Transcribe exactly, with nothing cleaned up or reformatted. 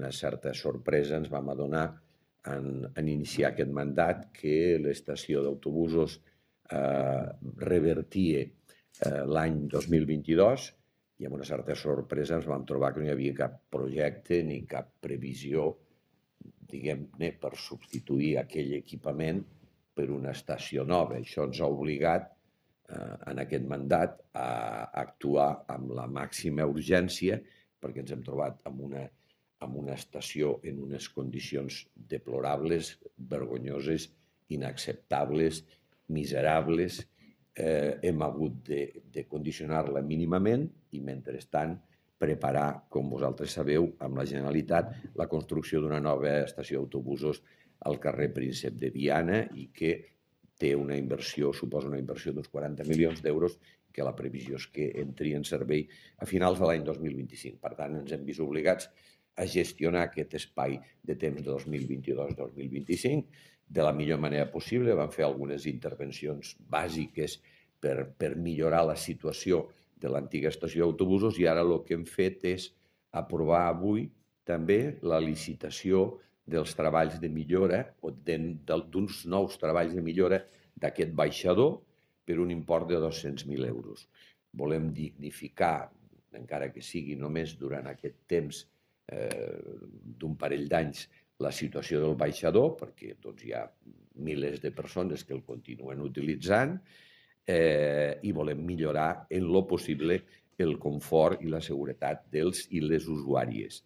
una certa sorpresa ens vam adonar en, en iniciar aquest mandat que l'estació d'autobusos eh, revertia eh, l'any dos mil vint-i-dos i amb una certa sorpresa ens vam trobar que no hi havia cap projecte ni cap previsió, diguem-ne, per substituir aquell equipament per una estació nova. Això ens ha obligat eh, en aquest mandat a actuar amb la màxima urgència perquè ens hem trobat amb una, amb una estació en unes condicions deplorables, vergonyoses, inacceptables, miserables. Eh, hem hagut de, de condicionar-la mínimament i, mentrestant, preparar, com vosaltres sabeu, amb la Generalitat, la construcció d'una nova estació d'autobusos al carrer Príncep de Viana i que té una inversió, suposa una inversió d'uns quaranta milions d'euros, que la previsió és que entri en servei a finals de l'any dos mil vint-i-cinc. Per tant, ens hem vist obligats a gestionar aquest espai de temps de dos mil vint-i-dos dos mil vint-i-cinc de la millor manera possible. Vam fer algunes intervencions bàsiques per, per millorar la situació de l'antiga estació d'autobusos i ara el que hem fet és aprovar avui també la licitació dels treballs de millora o d'uns nous treballs de millora d'aquest baixador per un import de dos-cents mil euros. Volem dignificar, encara que sigui només durant aquest temps eh, d'un parell d'anys, la situació del baixador, perquè doncs, hi ha milers de persones que el continuen utilitzant, eh, i volem millorar en lo possible el confort i la seguretat dels i les usuàries.